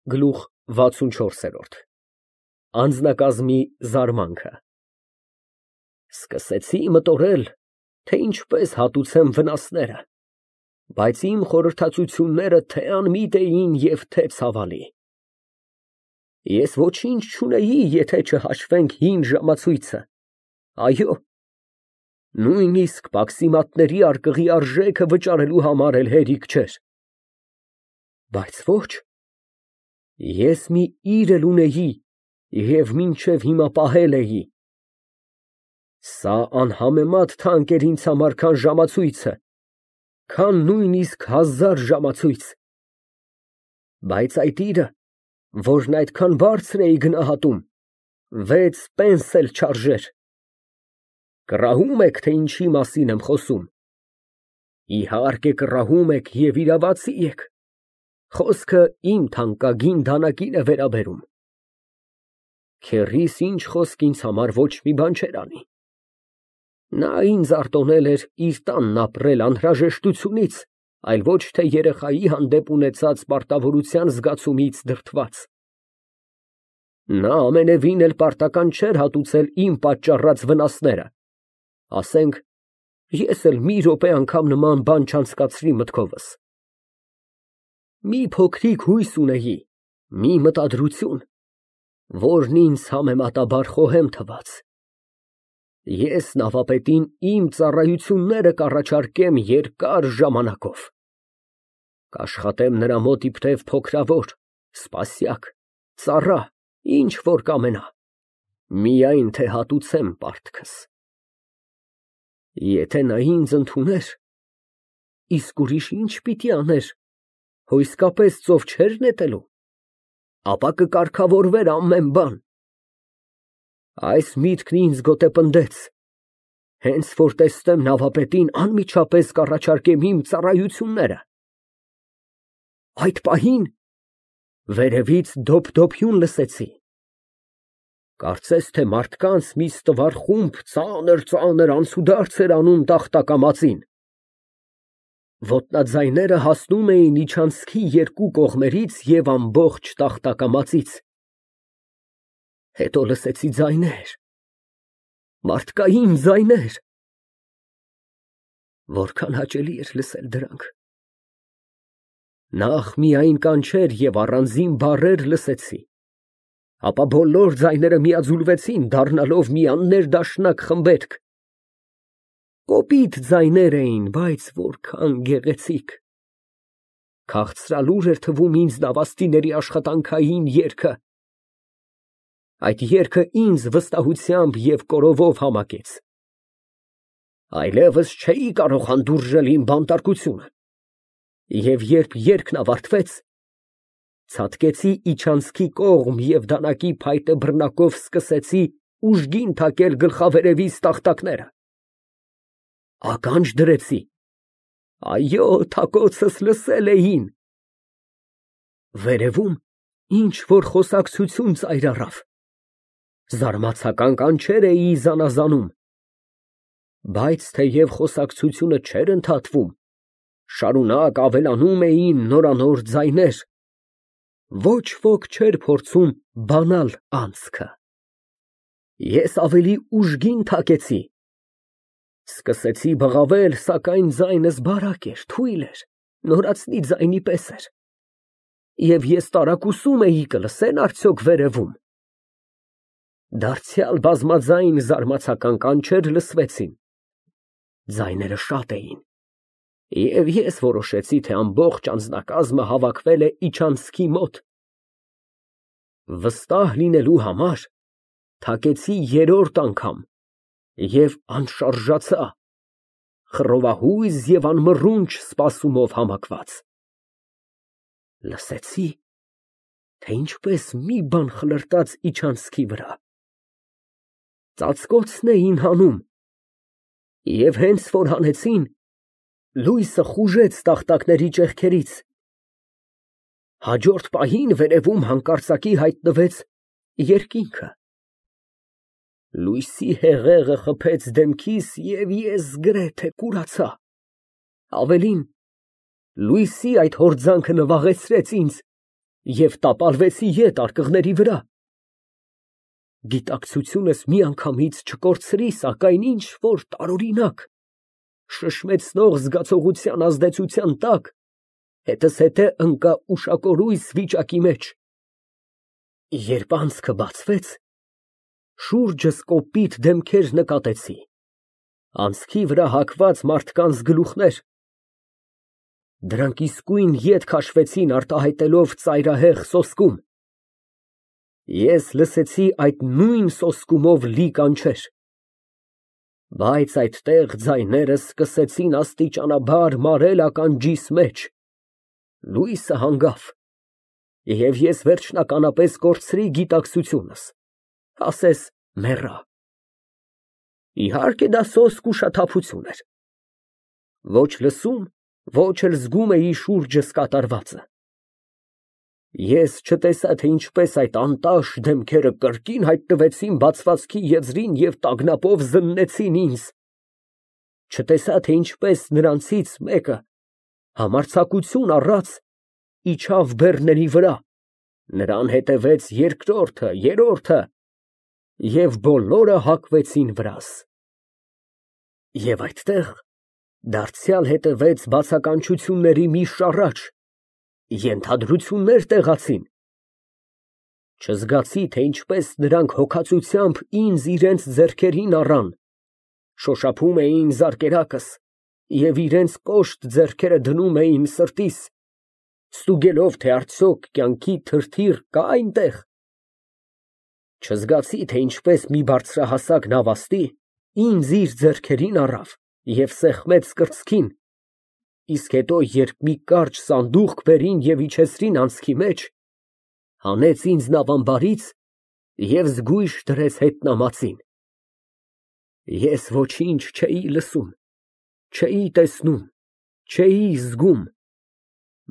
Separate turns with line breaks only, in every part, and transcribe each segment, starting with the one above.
Գլուխ 64 Անձնակազմի զարմանքը Սկսեցի մտորել, թե ինչպես հատուցեմ վնասները, բայց իմ խորհրդածությունները թե անմիտ էին և թե ցավալի։ Ես ոչինչ չունեի, եթե չհաշվենք հին ժամացույցը, այո, նույնիսկ պաքսիմատների արկղի արժեքը վճարելու համար էլ հերիք չէր։ Բայց ոչ, ես մի իր էլ ունեի և մինչև հիմա պահել էի։ Սա անհամեմատ թանկ էր ինձ համար, քան ժամացույցը, քան նույնիսկ 1000 ժամացույց։ Բայց այդ իրը, որն այդքան բարձր էի գնահատում, 6 պենս էլ չարժեր։ Կռահում եք, թե ինչի մասին եմ խոսում։ Իհարկե կռահում եք և իրավացի եք։ Խոսքը իմ թանկագին դանակին է վերաբերում։ Քեռիս ինչ խոսք ինձ համար ոչ մի բան չէր անի։ Նա ինձ արտոնել էր իր տանն ապրել անհրաժեշտությունից, այլ ոչ թե երեխայի հանդեպ ունեցած պարտավորության զգացումից դրդված։ Նա ամենևին էլ պարտական չէր հատուցել իմ պատճառած վնասները, ասենք, ես էլ մի րոպե անգամ նման բան չանցկացրի մտքովս։ Մի փոքրիկ հույս ունեի, մի մտադրություն, որն ինձ համեմատաբար խոհեմ թվաց։ Ես նավապետին իմ ծառայությունները կառաջարկեմ երկար ժամանակով։ Կաշխատեմ նրա մոտ իբրև փոքրավոր, սպասյակ, ծառա, ինչ որ կամենա, միայն թե հատուցեմ պարտքս։ Եթե նա ինձ ընդուներ, իսկ ուրիշ ինչ պիտի աներ, հո իսկապես ծով չէր նետելու, ապա կկարգավորվեր ամեն բան։ Այս միտքն ինձ գոտեպնդեց, հենց որ տեսնեմ նավապետին անմիջապես կառաջարկեմ իմ ծառայությունները։ Այդ պահին վերևից դոփ֊դոփյուն լսեցի։ Կարծես թե մարդկանց մի ստվար խումբ ծանր անցուդարձ էր անում տախտակամածին։ Ոտնաձայները հասնում էին իջանցքի երկու կողմերից և ամբողջ տախտակամածից։ Հետո լսեցի ձայներ, մարդկային ձայներ։ Որքան հաճելի էր լսել դրանք։ Նախ միայն կանչեր և առանձին բառեր լսեցի, ապա բոլոր ձայները միաձուլվեցին, դառնալով մի աններդաշնակ խմբերգ։ Կոպիտ ձայներ էին, բայց որքան գեղեցիկ։ Քաղցրալուր էր թվում ինձ նավաստիների աշխատանքային երգը։ Այդ երգը ինձ վստահությամբ և կորովով համակեց։ Այլևս չէի կարող հանդուրժել իմ բանտարկությունը, և երբ երգն ավարտվեց, ցատկեցի իջանցքի կողմ և դանակի փայտե բռնակով սկսեցի ուժգին թակել գլխավերևիս տախտակները։ Ականջ դրեցի, այո, թակոցս լսել էին։ Վերևում ինչ֊որ խոսակցություն ծայր առավ, զարմացական կանչեր էի զանազանում, բայց թեև խոսակցությունը չէր ընդհատվում, շարունակ ավելանում էին նորանոր ձայներ, ոչ ոք չէր փորձում բանալ անցքը։ Ես ավելի ուժգին թակեցի, սկսեցի բղավել, սակայն ձայնս բարակ էր, թույլ էր, նորածնի ձայնի պես էր, և ես տարակուսում էի կլսեն արդյոք վերևում։ Դարձյալ բազմաձայն զարմացական կանչեր լսվեցին։ Ձայները շատ էին, և ես որոշեցի, թե ամբողջ անձնակազմը հավաքվել է իջանցքի մոտ։ Վստահ լինելու համար թակեցի երրորդ անգամ և անշարժացա, խռովահույզ և անմռունչ սպասումով համակված։ Լսեցի, թե ինչպես մի բան խլրտաց իջանցքի վրա։ Ծածկոցն էին հանում, և հենց որ հանեցին, լույսը խուժեց տախտակների ճեղքերից։ Հաջորդ պահին վերևում հանկարծակի հայտնվեց երկինքը։ Լույսի հեղեղը խփեց դեմքիս, և ես գրեթե կուրացա։ Ավելին, լույսի այդ հորձանքը նվաղեցրեց ինձ և տապալվեցի ետ արկղների վրա։ Գիտակցությունս միանգամից չկորցրի, սակայն ինչ որ տարօրինակ, շշմեցնող զգացողության ազդեցության տակ հետզհետե ընկա ուշակորույս վիճակի մեջ։ Երբ անցքը բացվեց, շուրջս կոպիտ դեմքեր նկատեցի, անցքի վրա հագված մարդկանց գլուխներ, դրանք իսկույն ետ քաշվեցին արտահայտելով ծայրահեղ սոսկում։ Ես լսեցի այդ նույն սոսկումով լի կանչեր, բայց այդտեղ ձայներս սկսեցին աստիճանաբար մարել ականջիս մեջ, լույսը հանգավ, և ես վերջնականապես կորցրի գիտակցությունս, ասես մեռա։ Իհարկե դա սոսկ ուշաթափություն էր, ոչ լսում, ոչ էլ զգում էի շուրջս կատարվածը։ Ես չտեսա, թե ինչպես այդ անտաշ դեմքերը կրկին հայտնվեցին բացվածքի եզրին և տագնապով զննեցին ինձ, չտեսա, թե ինչպես նրանցից մեկը համարձակություն առած իջավ բեռների վրա, նրան հետևեց երկրորդը, երրորդը, և բոլորը հակվեցին վրաս։ Եվ այդտեղ դարձյալ հետևեց բացականչությունների մի շառաչ, ենթադրություններ տեղացին։ Չզգացի, թե ինչպես նրանք հոգածությամբ ինձ իրենց ձեռքերին առան, շոշափում էին զարկերակս և իրենց կոշտ ձեռքերը դնում էին սրտիս, ստուգելով, թե արդյոք կյանքի թրթիռ կա այնտեղ։ Չզգացի, թե ինչպես մի բարձրահասակ նավաստի ինձ իր ձեռքերին առավ և սեղմեց կրծքին, իսկ հետո, երբ մի կարճ սանդուղք բերին և իջեցրին անցքի մեջ, հանեց ինձ նավամբարից և զգույշ դրեց հետնամածին։ Ես ոչինչ չէի լսում, չէի տեսնում, չէի զգում,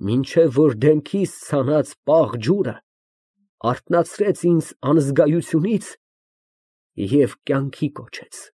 մինչև որ դեմքիս ցանած պաղ ջուրը արթնացրեց ինձ անզգայությունից և կյանքի կոչեց։